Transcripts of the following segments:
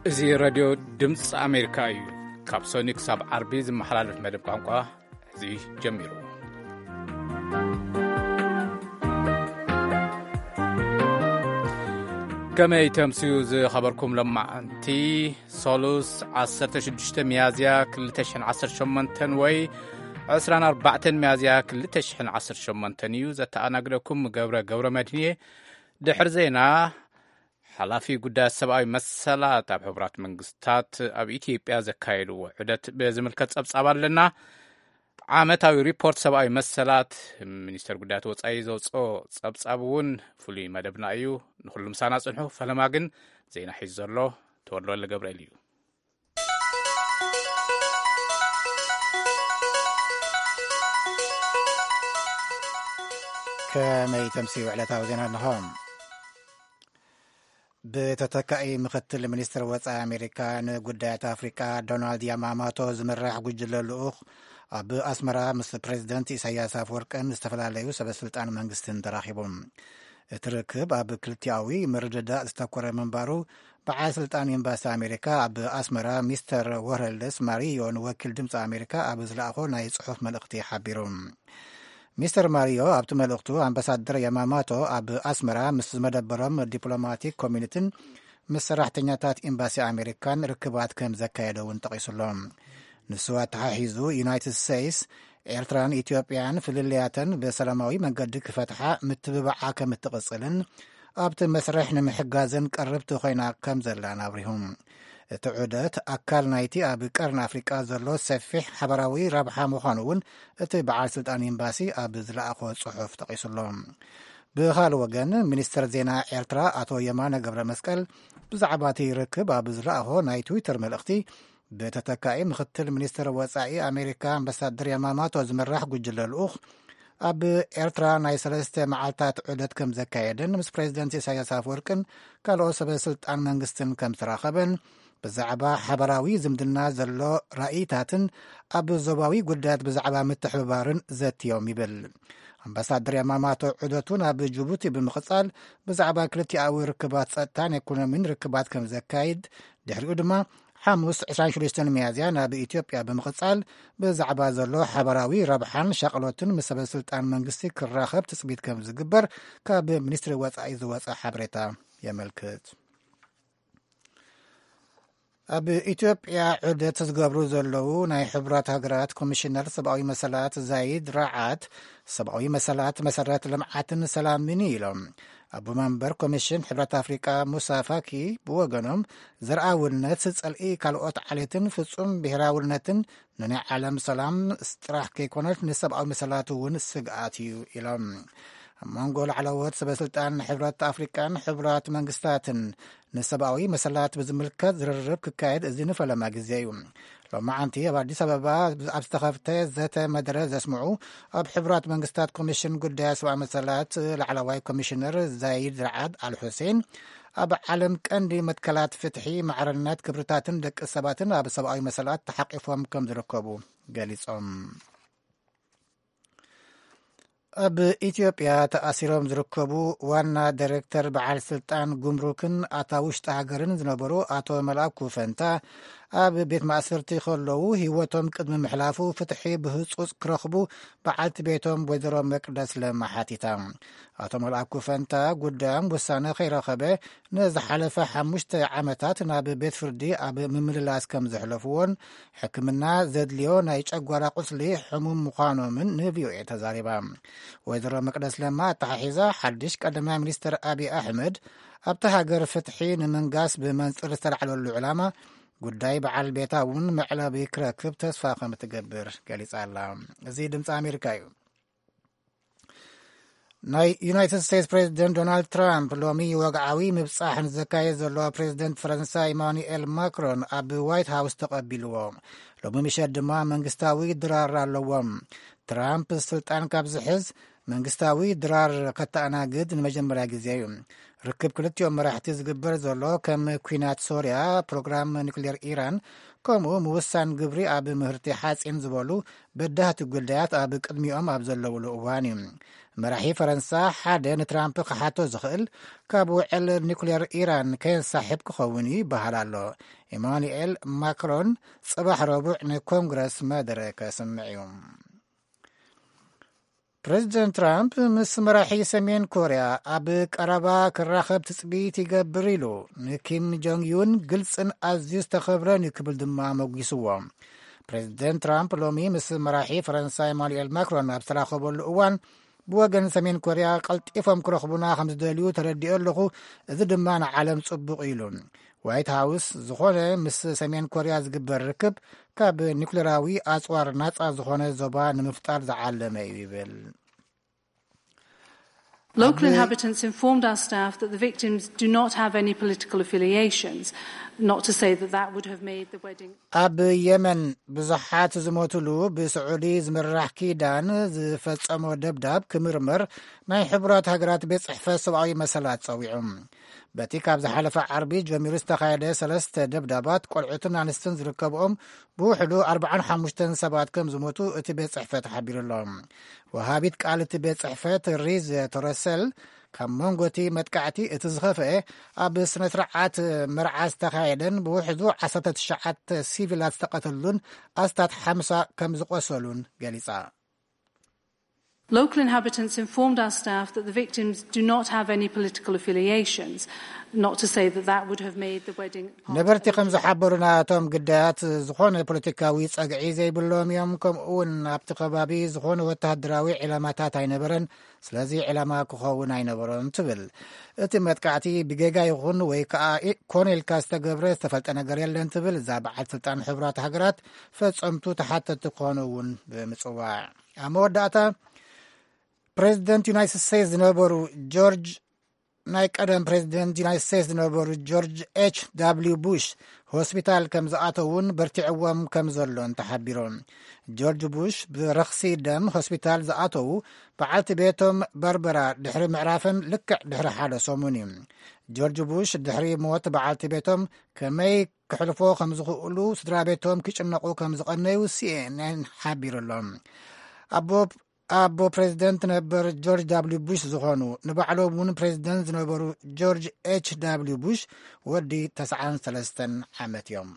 እዚ ሬድዮ ድምፂ ኣሜሪካ እዩ። ካብ ሰኒ ክሳብ ዓርቢ ዝመሓላለፍ መደብ ቋንቋ እዚ ጀሚሩ። ከመይ ተምስዩ ዝኸበርኩም ለማዓንቲ? ሶሉስ ዓሰርተ ሽዱሽተ ሚያዝያ ክልተ ሽሕን ዓሰርተ ሸሞንተን ወይ ዕስራን ኣርባዕተን ሚያዝያ ክልተ ሽሕን ዓሰርተ ሸሞንተን እዩ። ዘተኣናግደኩም ገብረ ገብረ መድህን እየ። ድሕሪ ዜና፣ ሓላፊ ጉዳያት ሰብኣዊ መሰላት ኣብ ሕቡራት መንግስታት ኣብ ኢትዮጵያ ዘካየድዎ ዑደት ብዝምልከት ጸብጻብ ኣለና። ዓመታዊ ሪፖርት ሰብኣዊ መሰላት፣ ሚኒስተር ጉዳያት ወጻኢ ዘውጽኦ ጸብጻብ እውን ፍሉይ መደብና እዩ። ንኹሉ ምሳና ጽንሑ። ፈለማ ግን ዜና ሒዙ ዘሎ ተወልደ ወልደ ገብርኤል እዩ። ከመይ ተምስዩ ዕለታዊ ዜና ኣለኹም? ብተተካኢ ምክትል ሚኒስትር ወጻኢ ኣሜሪካ ንጉዳያት ኣፍሪቃ ዶናልድ ያማማቶ ዝምራሕ ጉጅለ ልኡኽ ኣብ ኣስመራ ምስ ፕሬዚደንት ኢሳያስ ኣፈወርቅን ዝተፈላለዩ ሰበስልጣን መንግስትን ተራኺቡ። እቲ ርክብ ኣብ ክልቲኣዊ ምርድዳእ ዝተኮረ ምንባሩ በዓል ስልጣን ኤምባሲ ኣሜሪካ ኣብ ኣስመራ ሚስተር ወረልስ ማሪዮ ንወኪል ድምፂ ኣሜሪካ ኣብ ዝለኣኾ ናይ ጽሑፍ መልእኽቲ ሓቢሩ። ሚስተር ማሪዮ ኣብቲ መልእኽቱ ኣምባሳደር ያማማቶ ኣብ ኣስመራ ምስ ዝመደበሮም ዲፕሎማቲክ ኮሚኒቲን ምስ ሰራሕተኛታት ኤምባሲ ኣሜሪካን ርክባት ከም ዘካየደ እውን ጠቒሱሎ። ንሱ ኣተሓሒዙ ዩናይትድ ስቴትስ ኤርትራን ኢትዮጵያን ፍልልያተን ብሰላማዊ መንገዲ ክፈትሓ ምትብባዓ ከም እትቕጽልን ኣብቲ መስርሕ ንምሕጋዝን ቅርብቲ ኮይና ከም ዘላን ኣብሪሁ። እቲ ዑደት ኣካል ናይቲ ኣብ ቀርኒ ኣፍሪቃ ዘሎ ሰፊሕ ሓበራዊ ረብሓ ምዃኑ እውን እቲ በዓል ስልጣን ኤምባሲ ኣብ ዝለኣኾ ጽሑፍ ጠቒሱሎ። ብኻልእ ወገን፣ ሚኒስተር ዜና ኤርትራ ኣቶ የማነ ገብረ መስቀል ብዛዕባ እቲ ርክብ ኣብ ዝለኣኾ ናይ ትዊተር መልእኽቲ፣ ብተተካኢ ምክትል ሚኒስተር ወጻኢ ኣሜሪካ ኣምባሳደር ያማማቶ ዝምራሕ ጉጅለ ልኡኽ ኣብ ኤርትራ ናይ ሰለስተ መዓልታት ዑደት ከም ዘካየደን ምስ ፕሬዚደንት ኢሳያስ ኣፈወርቅን ካልኦት ሰበ ስልጣን መንግስትን ከም ዝተራኸበን ብዛዕባ ሓበራዊ ዝምድና ዘሎ ራእይታትን ኣብ ዞባዊ ጉዳያት ብዛዕባ ምትሕብባርን ዘትዮም ይብል። ኣምባሳደር ያማማቶ ዑደቱ ናብ ጅቡቲ ብምቕጻል ብዛዕባ ክልቲኣዊ ርክባት ጸጥታን ኢኮኖሚን ርክባት ከም ዘካይድ ድሕሪኡ ድማ ሓሙስ ዕስራን ሽዱሽተን ሚያዝያ ናብ ኢትዮጵያ ብምቕጻል ብዛዕባ ዘሎ ሓበራዊ ረብሓን ሻቕሎትን ምስ ሰበ ስልጣን መንግስቲ ክራኸብ ትጽቢት ከም ዝግበር ካብ ሚኒስትሪ ወጻኢ ዝወጸ ሓበሬታ የመልክት። ኣብ ኢትዮጵያ ዑደት ዝገብሩ ዘለዉ ናይ ሕቡራት ሃገራት ኮሚሽነር ሰብኣዊ መሰላት ዛይድ ራዓድ ሰብኣዊ መሰላት መሰረት ልምዓትን ሰላምን ኢሎም። ኣቦ መንበር ኮሚሽን ሕብረት ኣፍሪቃ ሙሳ ፋኪ ብወገኖም ዘርኣውነት፣ ጸልኢ ካልኦት ዓሌትን ፍጹም ብሄራውነትን ንናይ ዓለም ሰላም ጥራሕ ከይኮነስ ንሰብኣዊ መሰላት እውን ስግኣት እዩ ኢሎም። ኣብ መንጎ ላዕለዎት ሰበስልጣን ሕብረት ኣፍሪቃን ሕቡራት መንግስታትን ንሰብኣዊ መሰላት ብዝምልከት ዝርርብ ክካየድ እዚ ንፈለማ ግዜ እዩ። ሎማዓንቲ ኣብ ኣዲስ ኣበባ ኣብ ዝተኸፍተ ዘተ መደረ ዘስምዑ ኣብ ሕቡራት መንግስታት ኮሚሽን ጉዳያት ሰብኣዊ መሰላት ላዕለዋይ ኮሚሽነር ዛይድ ራዓድ ኣል ሑሴን፣ ኣብ ዓለም ቀንዲ መትከላት ፍትሒ፣ ማዕርነት፣ ክብርታትን ደቂ ሰባትን ኣብ ሰብኣዊ መሰላት ተሓቂፎም ከም ዝርከቡ ገሊጾም። ኣብ ኢትዮጵያ ተኣሲሮም ዝርከቡ ዋና ዳይሬክተር በዓል ስልጣን ጉምሩክን ኣታ ውሽጢ ሃገርን ዝነበሩ ኣቶ መልኣኩ ፈንታ ኣብ ቤት ማእሰርቲ ከለዉ ህይወቶም ቅድሚ ምሕላፉ ፍትሒ ብህጹጽ ክረኽቡ በዓልቲ ቤቶም ወይዘሮ መቅደስ ለማ ሓቲታ። ኣቶ መልኣኩ ፈንታ ጉዳዮም ውሳነ ከይረኸበ ንዝሓለፈ ሓሙሽተ ዓመታት ናብ ቤት ፍርዲ ኣብ ምምልላስ ከም ዘሕለፍዎን ሕክምና ዘድልዮ ናይ ጨጓራ ቁስሊ ሕሙም ምዃኖምን ንቪኦኤ ተዛሪባ። ወይዘሮ መቅደስ ለማ ኣተሓሒዛ ሓድሽ ቀዳማይ ሚኒስትር ኣብይ ኣሕመድ ኣብቲ ሃገር ፍትሒ ንምንጋስ ብመንጽር ዝተላዕለሉ ዕላማ ጉዳይ በዓል ቤታ እውን መዕለቢ ክረክብ ተስፋ ከም እትገብር ገሊጻ ኣላ። እዚ ድምፂ ኣሜሪካ እዩ። ናይ ዩናይትድ ስቴትስ ፕሬዚደንት ዶናልድ ትራምፕ ሎሚ ወግዓዊ ምብጻሕ ንዘካየድ ዘሎ ፕሬዚደንት ፈረንሳ ኢማኑኤል ማክሮን ኣብ ዋይት ሃውስ ተቐቢልዎ። ሎሚ ምሸት ድማ መንግስታዊ ድራር ኣለዎም። ትራምፕ ስልጣን ካብ ዝሕዝ መንግስታዊ ድራር ከተኣናግድ ንመጀመርያ ግዜ እዩ። ርክብ ክልቲኦም መራሕቲ ዝግበር ዘሎ ከም ኲናት ሶርያ፣ ፕሮግራም ኒክሌር ኢራን፣ ከምኡ ምውሳን ግብሪ ኣብ ምህርቲ ሓጺን ዝበሉ በዳህቲ ጉዳያት ኣብ ቅድሚኦም ኣብ ዘለውሉ እዋን እዩ። መራሒ ፈረንሳ ሓደ ንትራምፕ ክሓቶ ዝኽእል ካብ ውዕል ኒኩሌር ኢራን ከየንሳሕብ ክኸውን እዩ ይበሃል ኣሎ። ኢማኑኤል ማክሮን ጽባሕ ረቡዕ ንኮንግረስ መደረ ከስምዕ እዩ። ፕሬዚደንት ትራምፕ ምስ መራሒ ሰሜን ኮርያ ኣብ ቀረባ ክራኸብ ትጽቢት ይገብር ኢሉ፣ ንኪም ጆንግ ዩን ግልጽን ኣዝዩ ዝተኸብረን እዩ ክብል ድማ መጒስዎ። ፕሬዚደንት ትራምፕ ሎሚ ምስ መራሒ ፈረንሳ ኢማኑኤል ማክሮን ኣብ ዝተራኸበሉ እዋን፣ ብወገን ሰሜን ኮርያ ቀልጢፎም ክረኽቡና ከም ዝደልዩ ተረዲኦ ኣለኹ፣ እዚ ድማ ንዓለም ጽቡቕ ኢሉ። ዋይት ሃውስ ዝኾነ ምስ ሰሜን ኮርያ ዝግበር ርክብ ካብ ኒኩሌራዊ ኣጽዋር ናጻ ዝኾነ ዞባ ንምፍጣር ዝዓለመ እዩ ይብል። Local inhabitants informed our staff that the victims do not have any political affiliations, not to say that that would have made the wedding. ኣብ የመን ብዙሓት ዝሞትሉ ብስዑዲ ዝምራሕ ኪዳን ዝፈጸሞ ደብዳብ ክምርመር ናይ ሕቡራት ሃገራት ቤት ጽሕፈት ሰብኣዊ መሰላት ጸዊዑ። በቲ ካብ ዝሓለፈ ዓርቢ ጀሚሩ ዝተኻየደ ሰለስተ ደብዳባት ቆልዑትን ኣንስትን ዝርከብኦም ብውሕዱ ኣርባዓን ሓሙሽተን ሰባት ከም ዝሞቱ እቲ ቤት ጽሕፈት ሓቢሩ ኣሎ። ወሃቢት ቃል እቲ ቤት ጽሕፈት ሪዝ ቶረሰል ካብ መንጎ እቲ መጥቃዕቲ እቲ ዝኸፍአ ኣብ ስነ ስርዓት መርዓ ዝተኻየደን ብውሕዱ ዓሰርተ ትሽዓተ ሲቪላት ዝተቐተሉን ኣስታት ሓምሳ ከም ዝቆሰሉን ገሊጻ። Local inhabitants informed our staff that the victims do not have any political affiliations, not to say that that would have made the wedding. ነበርቲ ከም ዝሓበሩና እቶም ግዳያት ዝኾነ ፖለቲካዊ ጸግዒ ዘይብሎም እዮም። ከምኡ እውን ኣብቲ ከባቢ ዝኾነ ወተሃደራዊ ዕላማታት ኣይነበረን፣ ስለዚ ዕላማ ክኸውን ኣይነበሮን ትብል። እቲ መጥቃዕቲ ብጌጋ ይኹን ወይ ከዓ ኮነ ኢልካ ዝተገብረ ዝተፈልጠ ነገር የለን ትብል እዛ በዓል ስልጣን ሕቡራት ሃገራት፣ ፈጸምቱ ተሓተቲ ክኾኑ እውን ብምጽዋዕ። ኣብ መወዳእታ ፕሬዚደንት ዩናይትድ ስቴትስ ዝነበሩ ጆርጅ ናይ ቀደም ፕሬዚደንት ዩናይትድ ስቴትስ ዝነበሩ ጆርጅ ኤች ዳብሊው ቡሽ ሆስፒታል ከም ዝኣተውን በርቲዕዎም ከም ዘሎን ተሓቢሩ። ጆርጅ ቡሽ ብረኽሲ ደም ሆስፒታል ዝኣተዉ በዓልቲ ቤቶም ባርበራ ድሕሪ ምዕራፈን ልክዕ ድሕሪ ሓደ ሰሙን እዩ። ጆርጅ ቡሽ ድሕሪ ሞት በዓልቲ ቤቶም ከመይ ክሕልፎ ከም ዝኽእሉ ስድራ ቤቶም ክጭነቑ ከም ዝቐነዩ ሲኤንኤን ሓቢሩ ኣሎ። ኣቦ ኣቦ ፕሬዚደንት ነበር ጆርጅ ዳብሊው ቡሽ ዝኾኑ ንባዕሎም እውን ፕሬዚደንት ዝነበሩ ጆርጅ ኤች ዳብሊው ቡሽ ወዲ ተስዓን ሰለስተን ዓመት እዮም።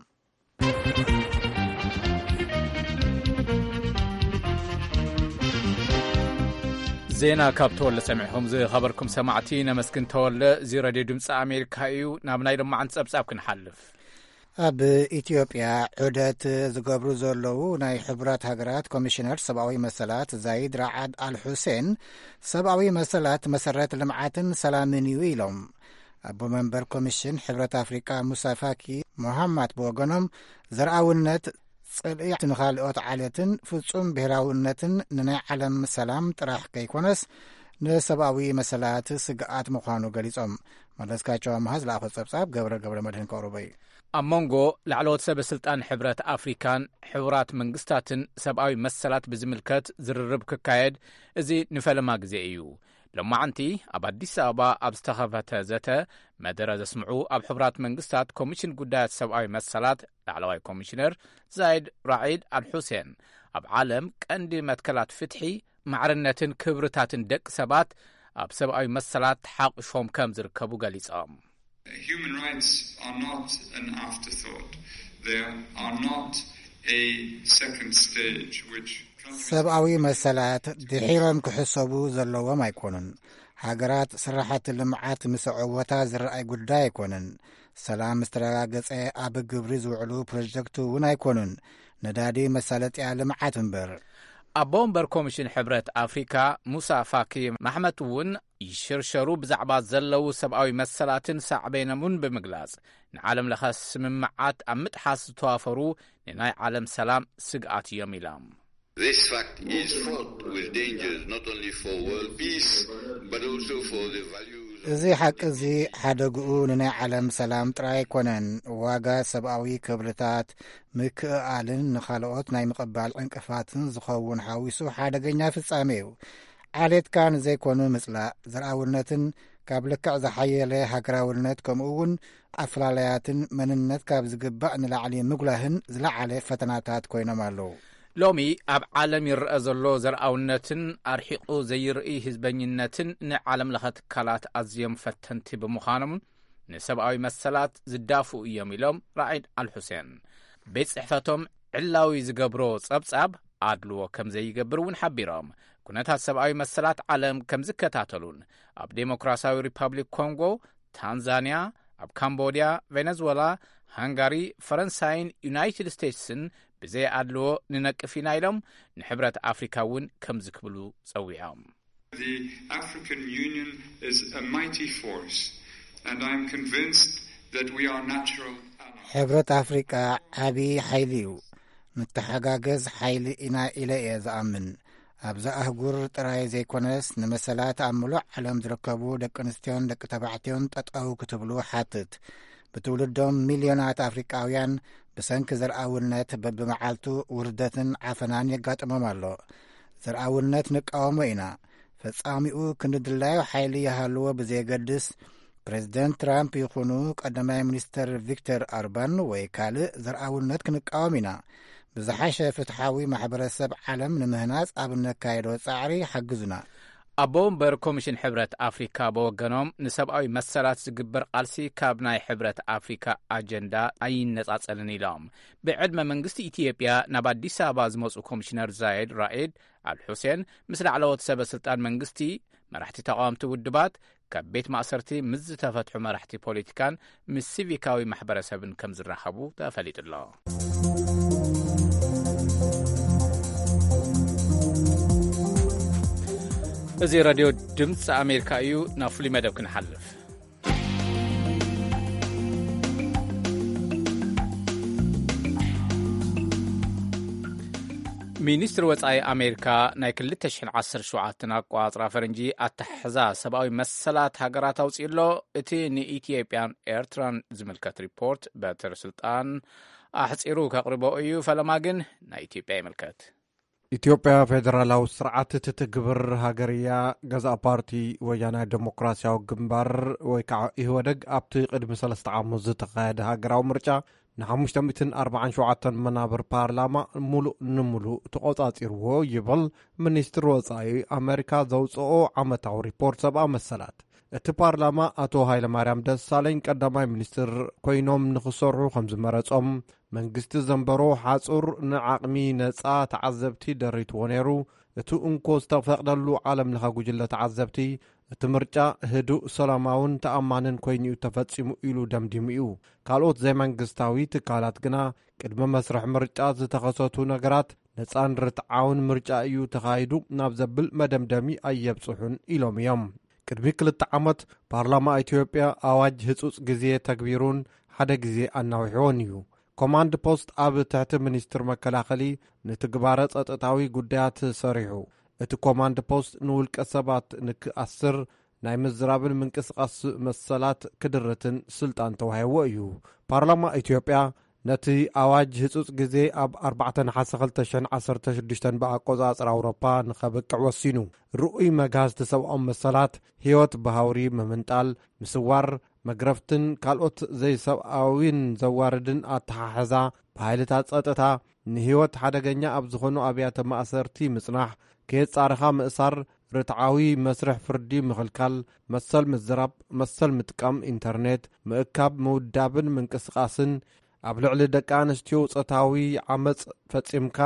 ዜና ካብ ተወለ ሰሚዕኹም ዝኸበርኩም ሰማዕቲ ነመስግን። ተወለ፣ እዚ ሬድዮ ድምፂ ኣሜሪካ እዩ። ናብ ናይ ሎማዓንቲ ፀብፃብ ክንሓልፍ። ኣብ ኢትዮጵያ ዑደት ዝገብሩ ዘለዉ ናይ ሕቡራት ሃገራት ኮሚሽነር ሰብኣዊ መሰላት ዛይድ ራዓድ ኣል ሑሴን፣ ሰብኣዊ መሰላት መሰረት ልምዓትን ሰላምን እዩ ኢሎም። ኣቦ መንበር ኮሚሽን ሕብረት ኣፍሪቃ ሙሳ ፋኪ ሞሃማት ብወገኖም፣ ዘርኣውነት፣ ጽልኢ ንኻልኦት ዓሌትን ፍጹም ብሄራውነትን ንናይ ዓለም ሰላም ጥራሕ ከይኮነስ ንሰብኣዊ መሰላት ስግኣት ምዃኑ ገሊጾም። መለስካቸው ኣምሃ ዝለኣኾ ጸብጻብ ገብረ ገብረ መድህን ከቕርቦ እዩ። ኣብ መንጎ ላዕለዎት ሰበ ስልጣን ሕብረት ኣፍሪካን ሕቡራት መንግስታትን ሰብኣዊ መሰላት ብዝምልከት ዝርርብ ክካየድ እዚ ንፈለማ ግዜ እዩ። ሎማዓንቲ ኣብ ኣዲስ ኣበባ ኣብ ዝተኸፈተ ዘተ መደረ ዘስምዑ ኣብ ሕቡራት መንግስታት ኮሚሽን ጉዳያት ሰብኣዊ መሰላት ላዕለዋይ ኮሚሽነር ዛይድ ራዒድ ኣል ሑሴን፣ ኣብ ዓለም ቀንዲ መትከላት ፍትሒ፣ ማዕርነትን ክብርታትን ደቂ ሰባት ኣብ ሰብኣዊ መሰላት ተሓቑፎም ከም ዝርከቡ ገሊጾም። Human rights are not an afterthought. They are not a second stage which countries ሰብኣዊ መሰላት ድሒሮም ክሕሰቡ ዘለዎም ኣይኮኑን። ሃገራት ስራሕቲ ልምዓት ምስ ኣዕወታ ዝረኣይ ጉዳይ ኣይኮነን። ሰላም ዝተረጋገጸ ኣብ ግብሪ ዝውዕሉ ፕሮጀክት እውን ኣይኮኑን። ነዳዲ መሳለጥያ ልምዓት እምበር። ኣቦ ወንበር ኮሚሽን ሕብረት ኣፍሪካ ሙሳ ፋኪ ማሕመት እውን ይሽርሸሩ ብዛዕባ ዘለዉ ሰብኣዊ መሰላትን ሳዕቤኖምን ብምግላጽ፣ ንዓለም ለኸ ስምምዓት ኣብ ምጥሓስ ዝተዋፈሩ ንናይ ዓለም ሰላም ስግኣት እዮም ኢሎም። This fact is fraught with dangers not only for world peace but also for the values of እዚ ሓቂ እዚ ሓደግኡ ንናይ ዓለም ሰላም ጥራይ ኣይኮነን። ዋጋ ሰብኣዊ ክብርታት ምክእኣልን ንኻልኦት ናይ ምቕባል ዕንቅፋትን ዝኸውን ሓዊሱ ሓደገኛ ፍጻሜ እዩ። ዓሌትካ ንዘይኮኑ ምጽላእ፣ ዘርኣውነትን ካብ ልክዕ ዝሓየለ ሃገራውነት፣ ከምኡ እውን ኣፍላላያትን መንነት ካብ ዝግባእ ንላዕሊ ምጉላህን ዝለዓለ ፈተናታት ኮይኖም ኣለዉ። ሎሚ ኣብ ዓለም ይረአ ዘሎ ዘርኣውነትን ኣርሒቑ ዘይርኢ ህዝበኝነትን ንዓለም ለኸ ትካላት ኣዝዮም ፈተንቲ ብምዃኖም፣ ንሰብኣዊ መሰላት ዝዳፍኡ እዮም ኢሎም ራዒድ ኣልሑሴን። ቤት ጽሕፈቶም ዕላዊ ዝገብሮ ጸብጻብ ኣድልዎ ከም ዘይገብር እውን ሓቢሮም። ኩነታት ሰብኣዊ መሰላት ዓለም ከም ዝከታተሉን ኣብ ዴሞክራሲያዊ ሪፐብሊክ ኮንጎ፣ ታንዛንያ፣ ኣብ ካምቦድያ፣ ቬነዝወላ፣ ሃንጋሪ፣ ፈረንሳይን ዩናይትድ ስቴትስን ብዘይ ኣድልዎ ንነቅፍ ኢና ኢሎም ንሕብረት ኣፍሪካ እውን ከምዚ ክብሉ ጸዊዖም። The African Union is a mighty force, and I'm convinced that we are natural allies. ሕብረት ኣፍሪቃ ዓቢ ሓይሊ እዩ። ንተሓጋገዝ ሓይሊ ኢና ኢለ እየ ዝኣምን። ኣብዛ ኣህጉር ጥራይ ዘይኮነስ፣ ንመሰላት ኣብ ምሉእ ዓለም ዝርከቡ ደቂ ኣንስትዮን ደቂ ተባዕትዮን ጠጠው ክትብሉ ሓትት። ብትውልዶም ሚልዮናት ኣፍሪቃውያን ብሰንኪ ዘርኣውነት በብመዓልቱ ውርደትን ዓፈናን የጋጥሞም ኣሎ። ዘርኣውነት ንቃወሞ ኢና። ፈጻሚኡ ክንዲ ድላዩ ሓይሊ ይሃልዎ ብዘየገድስ፣ ፕሬዚደንት ትራምፕ ይኹኑ ቀዳማይ ሚኒስተር ቪክተር ኦርባን ወይ ካልእ፣ ዘርኣውነት ክንቃወም ኢና። ብዝሓሸ ፍትሓዊ ማሕበረሰብ ዓለም ንምህናጽ ኣብ እነካየዶ ጻዕሪ ሓግዙና። ኣቦ ወንበር ኮሚሽን ሕብረት ኣፍሪካ ብወገኖም፣ ንሰብኣዊ መሰላት ዝግበር ቃልሲ ካብ ናይ ሕብረት ኣፍሪካ ኣጀንዳ ኣይነጻጸልን ኢሎም። ብዕድመ መንግስቲ ኢትዮጵያ ናብ ኣዲስ ኣበባ ዝመጹ ኮሚሽነር ዛይድ ራኢድ ኣል ሑሴን ምስ ላዕለዎት ሰበ ስልጣን መንግስቲ፣ መራሕቲ ተቃወምቲ ውድባት፣ ካብ ቤት ማእሰርቲ ምስ ዝተፈትሑ መራሕቲ ፖለቲካን ምስ ሲቪካዊ ማሕበረሰብን ከም ዝራኸቡ ተፈሊጡ ኣሎ። እዚ ሬድዮ ድምፂ ኣሜሪካ እዩ። ናብ ፍሉይ መደብ ክንሓልፍ። ሚኒስትሪ ወጻኢ ኣሜሪካ ናይ ክልተ ሽሕን ዓሰርተ ሸውዓተን ኣቋጽራ ፈረንጂ ኣተሓሕዛ ሰብኣዊ መሰላት ሃገራት ኣውጺኡ ኣሎ። እቲ ንኢትዮጵያን ኤርትራን ዝምልከት ሪፖርት በትር ስልጣን ኣሕጺሩ ከቕርቦ እዩ። ፈለማ ግን ናይ ኢትዮጵያ ይምልከት። ኢትዮጵያ ፌደራላዊ ስርዓት እትትግብር ሃገር እያ። ገዛእ ፓርቲ ወያናይ ዴሞክራሲያዊ ግንባር ወይ ከዓ ኢህወደግ ኣብቲ ቅድሚ ሰለስተ ዓመት ዝተኻየደ ሃገራዊ ምርጫ ንሓሙሽተ ሚእትን ኣርባዓን ሸውዓተን መናብር ፓርላማ ሙሉእ ንሙሉእ ተቖጻጺርዎ ይብል ሚኒስትሪ ወጻኢ ኣሜሪካ ዘውጽኦ ዓመታዊ ሪፖርት ሰብኣዊ መሰላት። እቲ ፓርላማ ኣቶ ሃይለማርያም ደሳለኝ ቀዳማይ ሚኒስትር ኮይኖም ንኽሰርሑ ከም ዝመረጾም፣ መንግስቲ ዘንበሮ ሓጹር ንዓቕሚ ነጻ ተዓዘብቲ ደሪትዎ ነይሩ። እቲ እንኮ ዝተፈቕደሉ ዓለም ለኸ ጉጅለ ተዓዘብቲ፣ እቲ ምርጫ ህዱእ፣ ሰላማውን ተኣማንን ኮይኑ'ዩ ተፈጺሙ ኢሉ ደምዲሙ እዩ። ካልኦት ዘይመንግስታዊ ትካላት ግና፣ ቅድሚ መስርሕ ምርጫ ዝተኸሰቱ ነገራት ነጻን ርትዓውን ምርጫ እዩ ተኻይዱ ናብ ዘብል መደምደሚ ኣየብጽሑን ኢሎም እዮም። ቅድሚ ክልተ ዓመት ፓርላማ ኢትዮጵያ ኣዋጅ ህጹጽ ግዜ ተግቢሩን ሓደ ግዜ ኣናዊሕዎን እዩ። ኮማንድ ፖስት ኣብ ትሕቲ ሚኒስትር መከላኸሊ ንትግባረ ጸጥታዊ ጉዳያት ሰሪሑ። እቲ ኮማንድ ፖስት ንውልቀ ሰባት ንክኣስር ናይ ምዝራብን ምንቅስቓስ መሰላት ክድርትን ስልጣን ተዋሂብዎ እዩ። ፓርላማ ኢትዮጵያ ነቲ ኣዋጅ ህጹጽ ግዜ ኣብ ኣርባዕተ ነሓሰ ክልተ ሽሕን ዓሰርተ ሽዱሽተን ብኣቆጻጽራ ኣውሮፓ ንኸብቅዕ ወሲኑ። ርኡይ መግሃስቲ ሰብኣዊ መሰላት፣ ህይወት ብሃውሪ ምምንጣል፣ ምስዋር፣ መግረፍትን ካልኦት ዘይሰብኣዊን ዘዋርድን ኣተሓሕዛ ብሃይልታት ጸጥታ፣ ንህይወት ሓደገኛ ኣብ ዝኾኑ ኣብያተ ማእሰርቲ ምጽናሕ፣ ከየጻረኻ ምእሳር፣ ርትዓዊ መስርሕ ፍርዲ ምኽልካል፣ መሰል ምዝራብ፣ መሰል ምጥቃም ኢንተርኔት፣ ምእካብ፣ ምውዳብን ምንቅስቓስን፣ ኣብ ልዕሊ ደቂ ኣንስትዮ ጾታዊ ዓመጽ ፈጺምካ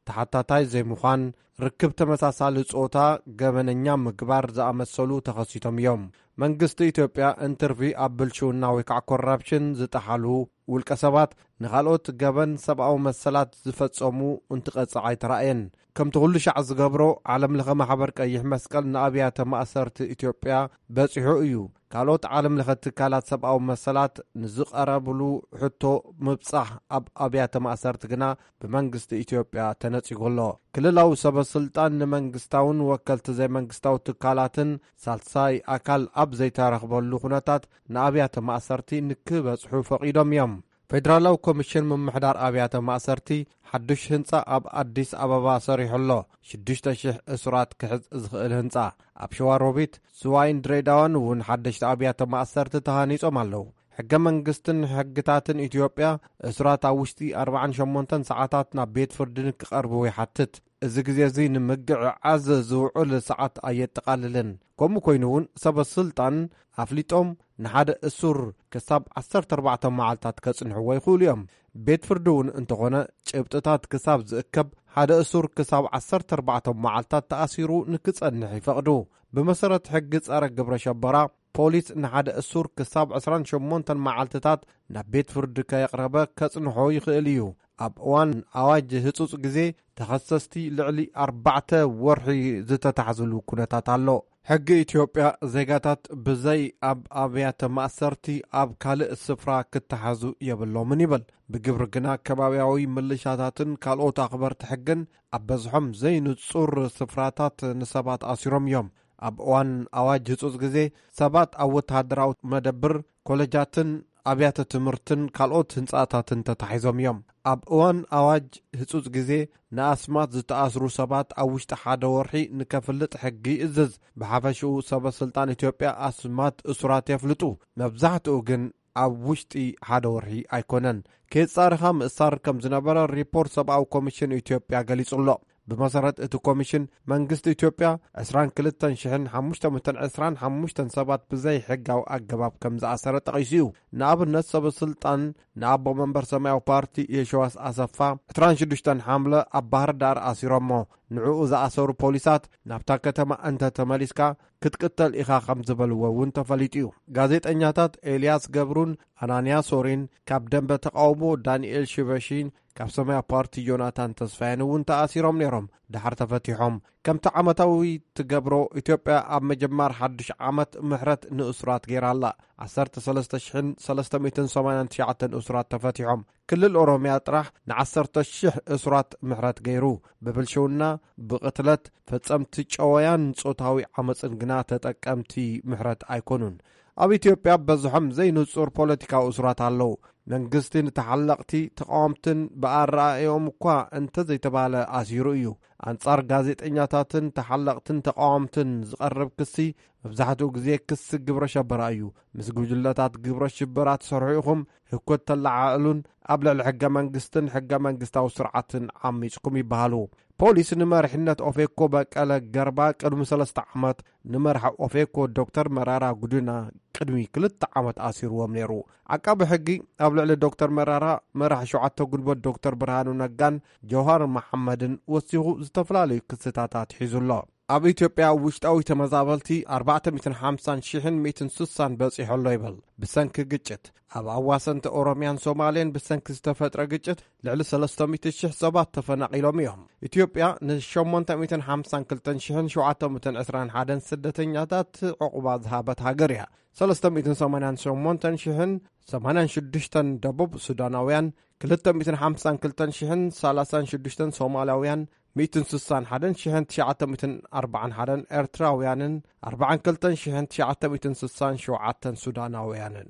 ተሓታታይ ዘይምዃን፣ ርክብ ተመሳሳሊ ጾታ ገበነኛ ምግባር ዝኣመሰሉ ተኸሲቶም እዮም። መንግስቲ ኢትዮጵያ እንትርፊ ኣብ ብልሽውና ወይ ከዓ ኮራፕሽን ዝጠሓሉ ውልቀ ሰባት ንኻልኦት ገበን ሰብኣዊ መሰላት ዝፈጸሙ እንትቐጽዕ ኣይተራእየን። ከምቲ ኩሉ ሻዕ ዝገብሮ፣ ዓለም ለኸ ማሕበር ቀይሕ መስቀል ንኣብያተ ማእሰርቲ ኢትዮጵያ በጺሑ እዩ። ካልኦት ዓለም ለኸ ትካላት ሰብኣዊ መሰላት ንዝቐረብሉ ሕቶ ምብጻሕ ኣብ ኣብያተ ማእሰርቲ ግና ብመንግስቲ ኢትዮጵያ ተነጺጉ ኣሎ። ክልላዊ ሰበ ስልጣን ንመንግስታውን ወከልቲ ዘይመንግስታዊ ትካላትን ሳልሳይ ኣካል ኣብ ዘይተረኽበሉ ኩነታት ንኣብያተ ማእሰርቲ ንክበጽሑ ፈቒዶም እዮም። ፌደራላዊ ኮሚሽን ምምሕዳር ኣብያተ ማእሰርቲ ሓዱሽ ህንጻ ኣብ ኣዲስ ኣበባ ሰሪሑ ኣሎ። ሽዱሽተ ሽሕ እሱራት ክሕዝ ዝኽእል ህንጻ። ኣብ ሸዋሮቢት፣ ዝዋይን ድሬዳዋን እውን ሓደሽቲ ኣብያተ ማእሰርቲ ተሃኒጾም ኣለዉ። ሕገ መንግስትን ሕግታትን ኢትዮጵያ፣ እሱራት ኣብ ውሽጢ ኣርባዓን ሸሞንተን ሰዓታት ናብ ቤት ፍርዲ ንክቐርቡ ይሓትት። እዚ ግዜ እዚ ንምግዕዓዝ ዝውዕል ሰዓት ኣየጠቓልልን። ከምኡ ኮይኑ እውን፣ ሰበ ስልጣን ኣፍሊጦም ንሓደ እሱር ክሳብ ዓሰርተ ኣርባዕተ መዓልታት ከጽንሕዎ ይኽእሉ እዮም። ቤት ፍርዲ እውን እንተኾነ፣ ጭብጥታት ክሳብ ዝእከብ፣ ሓደ እሱር ክሳብ ዓሰርተ ኣርባዕተ መዓልታት ተኣሲሩ ንክጸንሕ ይፈቕዱ። ብመሰረት ሕጊ ጸረ ግብረ ሸበራ፣ ፖሊስ ንሓደ እሱር ክሳብ ዕስራን ሸሞንተን መዓልትታት ናብ ቤት ፍርዲ ከየቕረበ ከጽንሖ ይኽእል እዩ። ኣብ እዋን ኣዋጅ ህጹጽ ግዜ፣ ተኸሰስቲ ልዕሊ ኣርባዕተ ወርሒ ዝተታሕዝሉ ኩነታት ኣሎ። ሕጊ ኢትዮጵያ፣ ዜጋታት ብዘይ ኣብ ኣብያተ ማእሰርቲ ኣብ ካልእ ስፍራ ክተሓዙ የብሎምን ይብል። ብግብሪ ግና፣ ከባብያዊ ምልሻታትን ካልኦት ኣኽበርቲ ሕግን ኣብ በዝሖም ዘይንጹር ስፍራታት ንሰባት ኣሲሮም እዮም። ኣብ እዋን ኣዋጅ ህጹጽ ግዜ፣ ሰባት ኣብ ወተሃደራዊ መደብር፣ ኮለጃትን ኣብያተ ትምህርትን ካልኦት ህንጻታትን ተታሒዞም እዮም። ኣብ እዋን ኣዋጅ ህጹጽ ግዜ፣ ንኣስማት ዝተኣስሩ ሰባት ኣብ ውሽጢ ሓደ ወርሒ ንከፍልጥ ሕጊ ይእዝዝ። ብሓፈሽኡ፣ ሰበ ስልጣን ኢትዮጵያ ኣስማት እሱራት የፍልጡ። መብዛሕትኡ ግን ኣብ ውሽጢ ሓደ ወርሒ ኣይኮነን። ከየጻረኻ ምእሳር ከም ዝነበረ ሪፖርት ሰብኣዊ ኮሚሽን ኢትዮጵያ ገሊጹ ኣሎ። ብመሰረት እቲ ኮሚሽን፣ መንግስቲ ኢትዮጵያ ዕስራን ክልተን ሽሕን ሓሙሽተ ሚእትን ዕስራን ሓሙሽተን ሰባት ብዘይ ሕጋዊ ኣገባብ ከም ዝኣሰረ ጠቒሱ እዩ። ንኣብነት፣ ሰበ ስልጣን ንኣቦ መንበር ሰማያዊ ፓርቲ የሸዋስ ኣሰፋ፣ ዕስራን ሽዱሽተን ሓምለ ኣብ ባህር ዳር ኣሲሮሞ። ንዕኡ ዝኣሰሩ ፖሊሳት፣ ናብታ ከተማ እንተ ተመሊስካ ክትቅተል ኢኻ ከም ዝበልዎ እውን ተፈሊጡ እዩ። ጋዜጠኛታት ኤልያስ ገብሩን ኣናንያ ሶሪን፣ ካብ ደንበ ተቃውሞ ዳንኤል ሽበሺን ካብ ሰማያዊ ፓርቲ ዮናታን ተስፋየን እውን ተኣሲሮም ነይሮም። ድሓር ተፈቲሖም። ከምቲ ዓመታዊ ትገብሮ፣ ኢትዮጵያ ኣብ ምጅማር ሓድሽ ዓመት ምሕረት ንእሱራት ገይራ ኣላ። ዓሰርተ ሰለስተ ሽሕን ሰለስተ ሚእትን ሰማንያን ትሽዓተን እሱራት ተፈቲሖም። ክልል ኦሮምያ ጥራሕ ንዓሰርተ ሽሕ እሱራት ምሕረት ገይሩ። ብብልሽውና፣ ብቕትለት፣ ፈጸምቲ ጨወያን ጾታዊ ዓመጽን ግና ተጠቀምቲ ምሕረት ኣይኮኑን። ኣብ ኢትዮጵያ በዝሖም ዘይንጹር ፖለቲካዊ እሱራት ኣለዉ። መንግስቲ ንተሓለቕቲ፣ ተቃወምትን ብኣረኣእኦም እኳ እንተዘይተባለ ኣሲሩ እዩ። ኣንጻር ጋዜጠኛታትን ተሓለቕትን ተቃወምትን ዝቐርብ ክሲ መብዛሕትኡ ግዜ ክሲ ግብረ ሸበራ እዩ። ምስ ጉጅለታት ግብረ ሽበራ ትሰርሑ ኢኹም፣ ህኮት ተለዓዕሉን ኣብ ልዕሊ ሕገ መንግስትን ሕገ መንግስታዊ ስርዓትን ዓሚጽኩም ይበሃሉ። ፖሊስ ንመሪሕነት ኦፌኮ በቀለ ገርባ ቅድሚ ሰለስተ ዓመት፣ ንመራሒ ኦፌኮ ዶክተር መራራ ጉዲና ቅድሚ ክልተ ዓመት ኣሲርዎም ነይሩ። ዓቃቢ ሕጊ ኣብ ልዕሊ ዶክተር መራራ፣ መራሒ ሸውዓተ ጉልበት ዶክተር ብርሃኑ ነጋን ጀውሃር መሓመድን ወሲኹ ዝተፈላለዩ ክስታት ኣትሒዙ ኣሎ። ኣብ ኢትዮጵያ ውሽጣዊ ተመዛበልቲ ኣርባዕተ ሚእትን ሓምሳን ሽሕን ሚእትን ስሳን በጺሑ ኣሎ ይብል። ብሰንኪ ግጭት፣ ኣብ ኣዋሰንቲ ኦሮምያን ሶማሌን ብሰንኪ ዝተፈጥረ ግጭት ልዕሊ ሰለስተ ሚእቲ ሽሕ ሰባት ተፈናቒሎም እዮም። ኢትዮጵያ ንሸሞንተ ሚእትን ሓምሳን ክልተን ሽሕን ሸውዓተ ሚእትን ዕስራን ሓደን ስደተኛታት ዕቑባ ዝሃበት ሃገር እያ። ሰለስተ ሚእትን ሰማንያን ሸሞንተን ሽሕን ሰማንያን ሽዱሽተን ደቡብ ሱዳናውያን፣ ክልተ ሚእትን ሓምሳን ክልተን ሽሕን ሰላሳን ሽዱሽተን ሶማላውያን፣ ሚእትን ስሳን ሓደን ሽሕን ትሽዓተ ሚእትን ኣርባዓን ሓደን ኤርትራውያንን ኣርባዓን ክልተን ሽሕን ትሽዓተ ሚእትን ስሳን ሸውዓተን ሱዳናውያንን።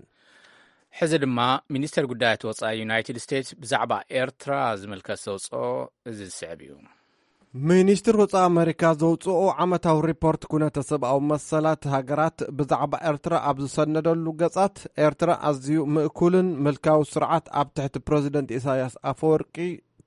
ሕዚ ድማ ሚኒስተር ጉዳያት ወጻኢ ዩናይትድ ስቴትስ ብዛዕባ ኤርትራ ዝምልከት ዘውጽኦ እዚ ዝስዕብ እዩ። ሚኒስትር ወጻኢ ኣመሪካ ዘውጽኦ ዓመታዊ ሪፖርት ኩነተ ሰብኣዊ መሰላት ሃገራት ብዛዕባ ኤርትራ ኣብ ዝሰነደሉ ገጻት፣ ኤርትራ ኣዝዩ ምእኩልን ምልካዊ ስርዓት ኣብ ትሕቲ ፕረዚደንት ኢሳያስ ኣፈወርቂ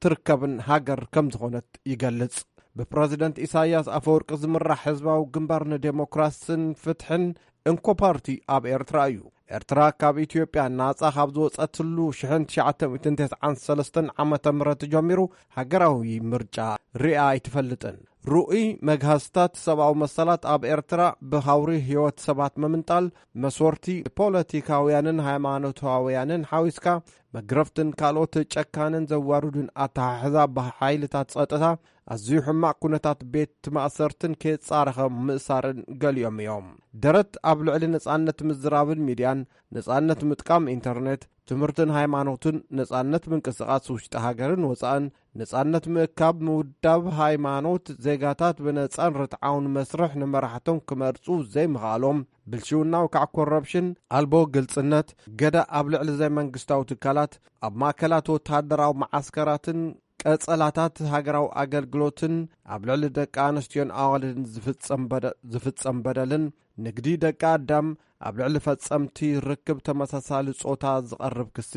ትርከብን ሃገር ከም ዝኾነት ይገልጽ። ብፕረዚደንት ኢሳያስ ኣፈወርቂ ዝምራሕ ህዝባዊ ግንባር ንዴሞክራስን ፍትሕን እንኮ ፓርቲ ኣብ ኤርትራ እዩ። ኤርትራ ካብ ኢትዮጵያ ናጻ ካብ ዝወጸትሉ ሽሕን ትሽዓተ ሚእትን ተስዓን ሰለስተን ዓመተ ምህረት ጀሚሩ ሃገራዊ ምርጫ ሪኣ ኣይትፈልጥን። ርኡይ መግሃስታት ሰብኣዊ መሰላት ኣብ ኤርትራ ብሃውሪ ህይወት ሰባት ምምንጣል፣ መስወርቲ ፖለቲካውያንን ሃይማኖታውያንን ሓዊስካ መግረፍትን ካልኦት ጨካንን ዘዋርዱን ኣተሓሕዛ ብሓይልታት ጸጥታ፣ ኣዝዩ ሕማቕ ኩነታት ቤት ማእሰርትን ከየጻረኸ ምእሳርን ገሊኦም እዮም። ደረት ኣብ ልዕሊ ነጻነት ምዝራብን ሚድያን፣ ነጻነት ምጥቃም ኢንተርኔት፣ ትምህርትን ሃይማኖትን፣ ነጻነት ምንቅስቓስ ውሽጢ ሃገርን ወጻእን፣ ነጻነት ምእካብ፣ ምውዳብ፣ ሃይማኖት፣ ዜጋታት ብነጻን ርትዓውን መስርሕ ንመራሕቶም ክመርጹ ዘይምኽኣሎም፣ ብልሽውናዊ ካዕ ኮረፕሽን፣ ኣልቦ ግልጽነት፣ ገዳ ኣብ ልዕሊ ዘይመንግስታዊ ትካላት፣ ኣብ ማእከላት ወተሃደራዊ መዓስከራትን ቀጸላታት ሃገራዊ ኣገልግሎትን፣ ኣብ ልዕሊ ደቂ ኣንስትዮን ኣዋልድን ዝፍጸም በደ-፣ ዝፍጸም በደልን፣ ንግዲ ደቂ ኣዳም፣ ኣብ ልዕሊ ፈጸምቲ ርክብ ተመሳሳሊ ጾታ ዝቐርብ ክሲ፣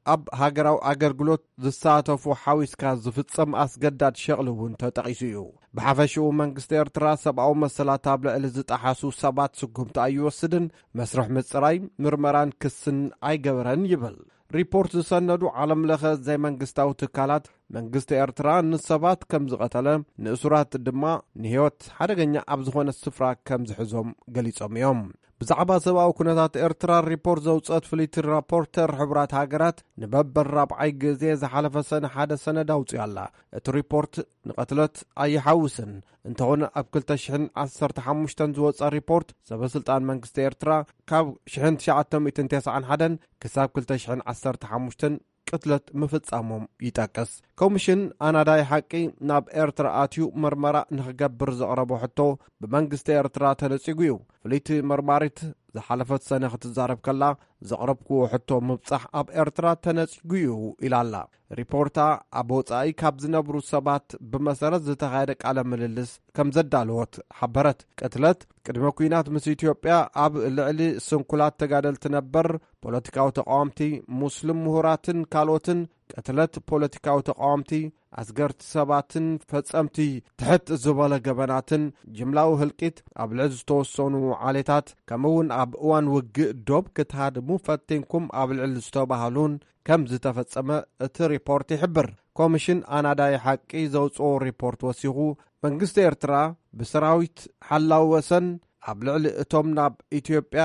ኣብ ሃገራዊ ኣገልግሎት ዝሳተፉ ሓዊስካ ዝፍጸም ኣስገዳድ ሸቕሊ እውን ተጠቒሱ እዩ። ብሓፈሽኡ መንግስቲ ኤርትራ ሰብኣዊ መሰላት ኣብ ልዕሊ ዝጠሓሱ ሰባት ስጉምቲ ኣይወስድን፣ መስርሕ ምጽራይ፣ ምርመራን ክስን ኣይገበረን ይብል። ሪፖርት ዝሰነዱ ዓለም ለኸ ዘይመንግስታዊ ትካላት መንግስቲ ኤርትራ ንሰባት ከም ዝቐተለ፣ ንእሱራት ድማ ንህይወት ሓደገኛ ኣብ ዝኾነ ስፍራ ከም ዝሕዞም ገሊጾም እዮም። ብዛዕባ ሰብኣዊ ኩነታት ኤርትራ ሪፖርት ዘውጸት ፍልይቲ ራፖርተር ሕቡራት ሃገራት ንበበል ራብዓይ ግዜ ዝሓለፈ ሰነ ሓደ ሰነድ ኣውጽያ ኣላ። እቲ ሪፖርት ንቐትለት ኣይሓውስን። እንተኾነ ኣብ ክልተ ሽሕን ዓሰርተ ሓሙሽተን ዝወጸ ሪፖርት ሰበስልጣን መንግስቲ ኤርትራ ካብ ሽሕን ትሽዓተ ሚእትን ተስዓን ሓደን ክሳብ ክልተ ሽሕን ዓሰርተ ሓሙሽተን ቅትለት ምፍጻሞም ይጠቅስ። ኮሚሽን ኣናዳይ ሓቂ ናብ ኤርትራ ኣትዩ መርመራ ንኽገብር ዘቕረቦ ሕቶ ብመንግስቲ ኤርትራ ተነጺጉ እዩ። ፍልይቲ መርማሪት ዝሓለፈት ሰነ ክትዛረብ ከላ፣ ዘቕረብክዎ ሕቶ ምብጻሕ ኣብ ኤርትራ ተነጺጉ እዩ ኢላ ኣላ። ሪፖርታ ኣብ ወጻኢ ካብ ዝነብሩ ሰባት ብመሰረት ዝተኻየደ ቃለ ምልልስ ከም ዘዳለወት ሓበረት። ቅትለት ቅድመ ኲናት ምስ ኢትዮጵያ ኣብ ልዕሊ ስንኩላት ተጋደልቲ ነበር፣ ፖለቲካዊ ተቃወምቲ፣ ሙስሊም ምሁራትን ካልኦትን፣ ቅትለት ፖለቲካዊ ተቃወምቲ፣ ኣስገርቲ ሰባትን ፈጸምቲ ትሕት ዝበለ ገበናትን፣ ጅምላዊ ህልቂት ኣብ ልዕሊ ዝተወሰኑ ዓሌታት፣ ከምኡ እውን ኣብ እዋን ውግእ ዶብ ክትሃድሙ ፈቲንኩም ኣብ ልዕሊ ዝተባህሉን ከም ዝተፈጸመ እቲ ሪፖርት ይሕብር። ኮሚሽን ኣናዳይ ሓቂ ዘውጽኦ ሪፖርት ወሲኹ፣ መንግስቲ ኤርትራ ብሰራዊት ሓላው ወሰን ኣብ ልዕሊ እቶም ናብ ኢትዮጵያ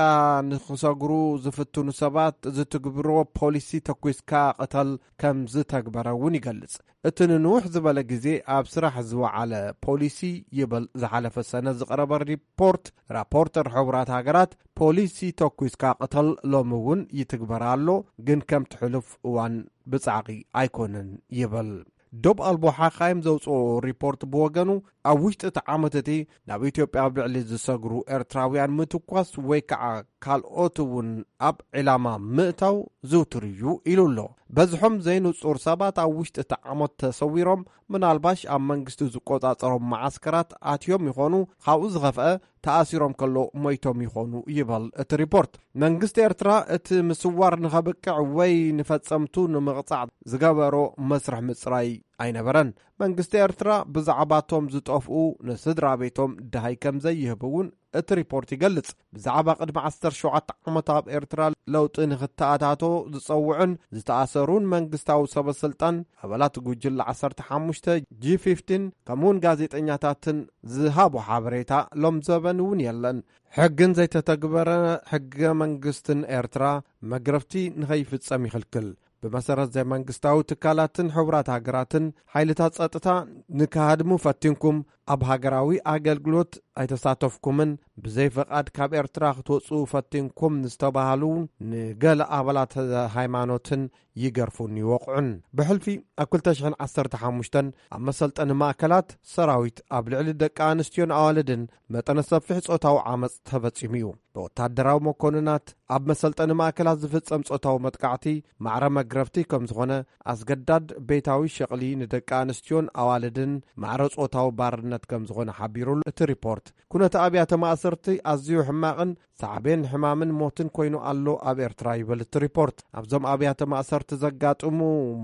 ንኽሰግሩ ዝፍትኑ ሰባት ዝትግብሮ ፖሊሲ ተኲስካ ቅተል ከም ዝተግበረ እውን ይገልጽ። እቲ ንንውሕ ዝበለ ግዜ ኣብ ስራሕ ዝወዓለ ፖሊሲ ይብል ዝሓለፈ ሰነ ዝቐረበ ሪፖርት፣ ራፖርተር ሕቡራት ሃገራት ፖሊሲ ተኲስካ ቅተል ሎሚ እውን ይትግበር ኣሎ፣ ግን ከምቲ ሕሉፍ እዋን ብጻዕቒ ኣይኮነን ይብል። ዶብ ኣልቦ ሓኻይም ዘውፅኦ ሪፖርት ብወገኑ፣ ኣብ ውሽጢ እቲ ዓመት እቲ ናብ ኢትዮጵያ ኣብ ልዕሊ ዝሰግሩ ኤርትራውያን ምትኳስ ወይ ከዓ ካልኦት እውን ኣብ ዕላማ ምእታው ዝውቱር እዩ ኢሉ ኣሎ። በዝሖም ዘይንጹር ሰባት ኣብ ውሽጢ እቲ ዓመት ተሰዊሮም፣ ምናልባሽ ኣብ መንግስቲ ዝቆጻጸሮም መዓስከራት ኣትዮም ይኾኑ፣ ካብኡ ዝኸፍአ ተኣሲሮም ከሎ ሞይቶም ይኾኑ ይበል እቲ ሪፖርት። መንግስቲ ኤርትራ እቲ ምስዋር ንኸብቅዕ ወይ ንፈጸምቱ ንምቕጻዕ ዝገበሮ መስርሕ ምጽራይ ኣይነበረን። መንግስቲ ኤርትራ ብዛዕባቶም ዝጠፍኡ ንስድራ ቤቶም ደሃይ ከም ዘይህብ እውን እቲ ሪፖርት ይገልጽ። ብዛዕባ ቅድሚ ዓሰርተ ሸውዓተ ዓመት ኣብ ኤርትራ ለውጢ ንኽተኣታቶ ዝጸውዑን ዝተኣሰሩን መንግስታዊ ሰበ ስልጣን፣ ኣባላት ጉጅለ ዓሰርተ ሓሙሽተ፣ ጂ ፊፍቲን፣ ከምኡውን ጋዜጠኛታትን ዝሃቦ ሓበሬታ ሎም ዘበን እውን የለን። ሕግን ዘይተተግበረ ሕገ መንግስትን ኤርትራ መግረፍቲ ንኸይፍጸም ይኽልክል። ብመሰረት ዘይመንግስታዊ ትካላትን ሕቡራት ሃገራትን ሓይልታት ጸጥታ ንክሃድሙ ፈቲንኩም፣ ኣብ ሃገራዊ ኣገልግሎት ኣይተሳተፍኩምን፣ ብዘይ ፈቓድ ካብ ኤርትራ ክትወጽኡ ፈቲንኩም ዝተባህሉ ንገለ ኣባላት ሃይማኖትን ይገርፉን ይወቕዑን። ብሕልፊ ኣብ ክልተ ሽሕን ዓሰርተ ሓሙሽተን ኣብ መሰልጠኒ ማእከላት ሰራዊት ኣብ ልዕሊ ደቂ ኣንስትዮን ኣዋልድን መጠነ ሰፊሕ ጾታዊ ዓመጽ ተፈጺሙ እዩ። ብወታደራዊ መኮንናት ኣብ መሰልጠኒ ማእከላት ዝፍጸም ጾታዊ መጥቃዕቲ ማዕረ መግረፍቲ ከም ዝኾነ፣ ኣስገዳድ ቤታዊ ሸቕሊ ንደቂ ኣንስትዮን ኣዋልድን ማዕረ ጾታዊ ባርነት ከም ዝኾነ ሓቢሩሉ እቲ ሪፖርት። ኩነተ ኣብያተ ማእሰርቲ ኣዝዩ ሕማቕን ሳዕቤን ሕማምን ሞትን ኮይኑ ኣሎ ኣብ ኤርትራ ይብል እቲ ሪፖርት። ኣብዞም ኣብያተ ማእሰርቲ ዘጋጥሙ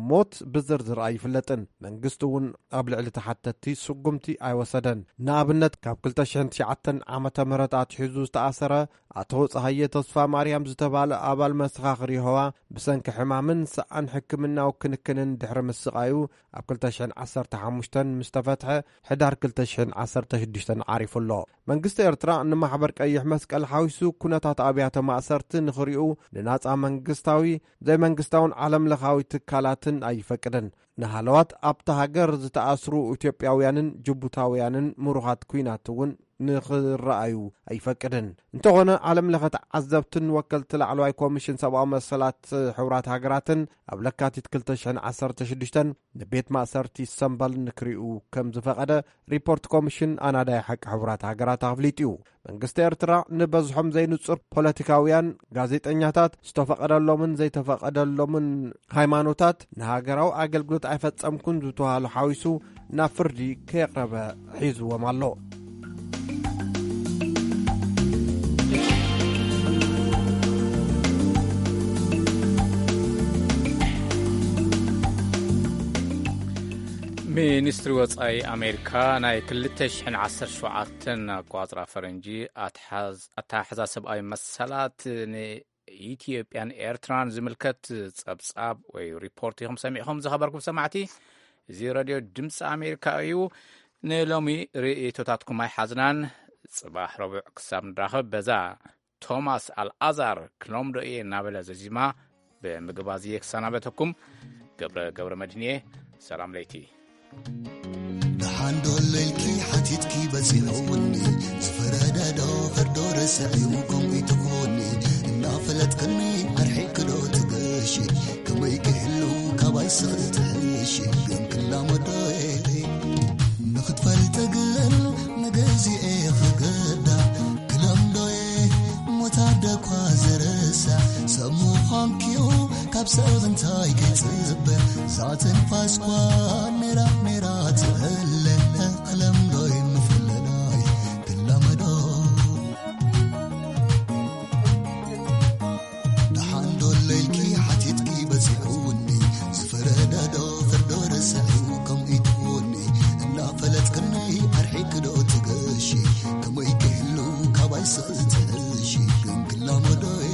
ሞት ብዝርዝር ኣይፍለጥን። መንግስቲ እውን ኣብ ልዕሊ ተሓተትቲ ስጉምቲ ኣይወሰደን። ንኣብነት ካብ ክልተ ሽሕን ትሽዓተን ዓመተ ምህረት ኣትሒዙ ዝተኣሰረ ኣቶ ጸሃየ ተስፋ ማርያም ዝተባለ ኣባል መሰኻኽር የሆዋ ብሰንኪ ሕማምን ሰኣን ሕክምናዊ ክንክንን ድሕሪ ምስቓዩ ኣብ ክልተ ሽሕን ዓሰርተ ሓሙሽተን ምስ ተፈትሐ ሕዳር ክልተ ሽሕን ዓሰርተ ሽዱሽተን ዓሪፉ ኣሎ። መንግስቲ ኤርትራ ንማሕበር ቀይሕ መስቀል ሓዊሱ ኩነታት ኣብያተ ማእሰርቲ ንኽሪኡ ንናጻ መንግስታዊ፣ ዘይመንግስታውን ዓለም ለኻዊ ትካላትን ኣይፈቅድን። ንሃለዋት ኣብታ ሃገር ዝተኣስሩ ኢትዮጵያውያንን ጅቡታውያንን ምሩኻት ኲናት እውን ንኽረኣዩ ኣይፈቅድን። እንተኾነ፣ ዓለም ለኸ ተዓዘብትን ወከልቲ ላዕለዋይ ኮሚሽን ሰብኣዊ መሰላት ሕቡራት ሃገራትን ኣብ ለካቲት ክልተ ሽሕን ዓሰርተ ሽዱሽተን ንቤት ማእሰርቲ ሰምበል ንክሪኡ ከም ዝፈቐደ ሪፖርት ኮሚሽን ኣናዳይ ሓቂ ሕቡራት ሃገራት ኣፍሊጡ እዩ። መንግስቲ ኤርትራ ንበዝሖም ዘይንጹር ፖለቲካውያን፣ ጋዜጠኛታት፣ ዝተፈቐደሎምን ዘይተፈቐደሎምን ሃይማኖታት፣ ንሃገራዊ ኣገልግሎት ኣይፈጸምኩን ዝተባሃሉ ሓዊሱ ናብ ፍርዲ ከየቕረበ ሒዝዎም ኣሎ። ሚኒስትሪ ወጻኢ ኣሜሪካ ናይ ክልተ ሽሕን ዓሰርተ ሸውዓተን ኣቋጽራ ፈረንጂ ኣትሓዝ-፣ ኣተሓሕዛ ሰብኣዊ መሰላት ንኢትዮጵያን ኤርትራን ዝምልከት ጸብጻብ ወይ ሪፖርት ኢኹም ሰሚዕኹም ዝኸበርኩም ሰማዕቲ። እዚ ሬድዮ ድምፂ ኣሜሪካ እዩ። ንሎሚ ርእይቶታትኩም ኣይሓዝናን። ጽባሕ ረቡዕ ክሳብ ንራኸብ በዛ ቶማስ ኣልኣዛር ክለምዶ እየ እናበለ ዘዚማ ብምግባዝ እየ ክሰናበተኩም። ገብረ ገብረ መድህን እየ። ሰላም ለይቲ። ደሓን ዶ ኣሎ ኢልኪ ሓቲትኪ በጺሑኒ፣ ዝፈረደ ዶ ፍርዶ ረስዕዩ ከምኡ ትኾኒ፣ እናፈለጥክኒ ኣርሒቅኪ ዶ ትገሺ፣ ከመይ ክህሉ ካባይ ስኽሪ ትሕሺ፣ ግን ክላመዶ እየ ንኽትፈልጢ ግን ንግዚኤ ክገዳ ክለምዶየ ሞት ኣደኳ ዝርሳዕ ሰብ ምዃንኪዩ ካብ ሰብ እንታይ ክጽበ ዛትንፋስኳ ሜራ ሜራ ትእለ ክለምዶይ ምፍልላይ ክላመዶ ደሓን ዶ ለይልኪ ሓቲትኪ በጺሑኒ ዝፈረደ ዶ ፍርዶ ረሳዒ ከምኡ ይትውኒ እናፈለጥክኒ ኣርሒቂ ዶ ትገሺ ከመይ ክህሉ ካባይ ስኽትዕሺ ግን ክላመዶየ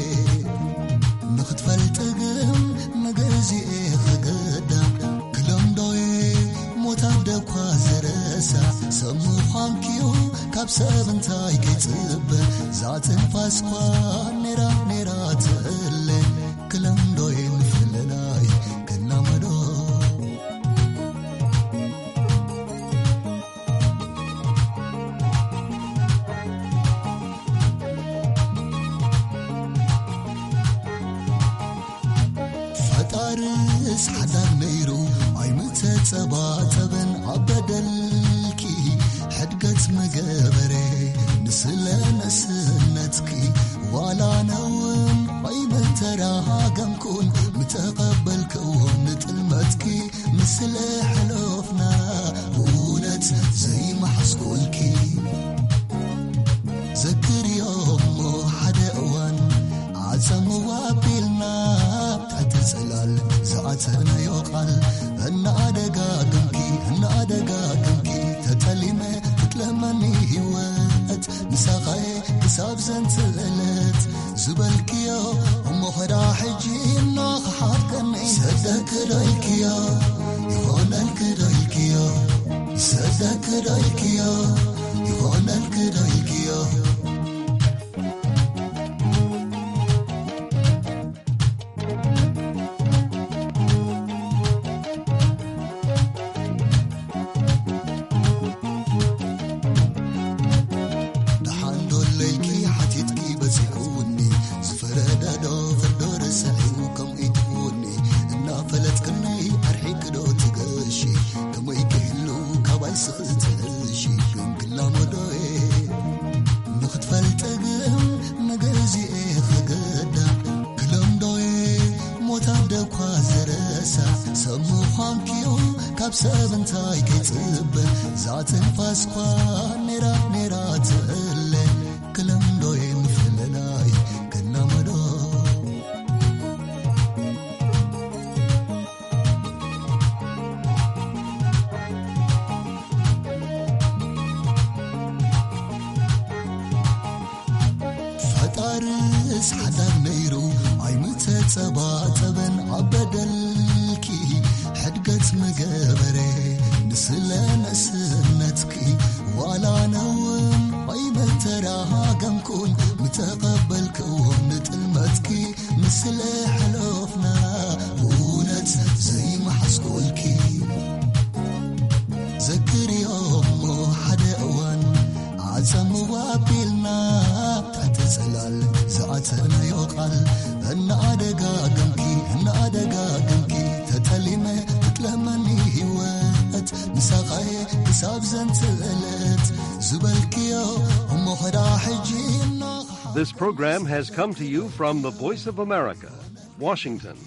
ንኽትፈልጢ ግን ንግዚኤ ክገዳ ክለምዶየ ሞት ኣደኳ ዝረሳ ሰብ ምዃንኪዩ ካብ ሰብ እንታይ ክጽበ ዛትንፋስኳ ኔራ ኔራ ትእለ ክለምዶየ ምፍልላይ ክላመዶ ፈጣርስ ሓዳግ ነይሩ ኣይምተጸባጸበን ኣብ በደልኪ ሕድገት ምገበረ ንስለ ንእስነትኪ ዋላ ነውን ኣይምተራሃገምኩን ምተቐበልክዎ ንጥልመትኪ ንስለ ሕለፍና ብእውነት ዘይመሓስኩልኪ ዘክርዮ እሞ ሓደ እዋን ዓጸምዋ ኣቢልና ትሕቲ ጽላል ዝኣተናዮ ቃል እናኣደጋግምኪ እናኣደጋግምኪ ተጠሊመ ክትለመኒ ህይወት ምሳኻየ ክሳብ ዘንትእለት ዝበልክዮ እሞ ኸዳ ሕጂ እናኸሓድከኒ ሰደክ ዶ ኢልክዮ ይኾነልክ ዶ ኢልክዮ ሰደክ ዶ ኢልክዮ ይኾነልክ ዶ ኢልክዮ ደሓን ዶ ለይልኪ ሓቲትኪ በጺሑኒ ዝፈረደ ዶ ፍርዶ ረሳዒ ከምኡ ይትውኒ እናፈለጥክኒ ኣርሒቂ ዶ ትገሺ ከመይ ክህሉ ካባይ ስኽትዕሺ ግን ክላመዶየ ንኽትፈልጢ ግን ንግዚኤ ክገዳ ክለምዶየ ሞት ኣደኳ ዝረሳ ሰብ ምዃንኪዩ ካብ ሰብ እንታይ ክጽበ ዛትንፋስኳ ኔራ ኔራ ትእለ ክለምዶየ ምፍልላይ ክላመዶ ፈጣርስ ሓዳር ነይሩ ኣይምተጸባጸበን ኣብ በደልኪ ሕድገት ምገበረ ንስለ ንእስነትኪ ዋላ ነውን ኣይመተራሃገምኩን ምተቐበልክዎ ንጥልመትኪ ንስለ ሕለፍና ብእውነት ዘይመሓስኩልኪ ዘክርዮ እሞ ሓደ እዋን ዓጸምዋ ጽላል ዝኣተናዮ ቃል እናኣደጋገምኪ እናኣደጋገምኪ ተጠሊመ ክትለመኒ ህይወት ምሳኻየ ክሳብ ዘንጽእለት ዝበልክዮ እሞ ኸዳ ሕጂ እና This program has come to you from the Voice of America, Washington.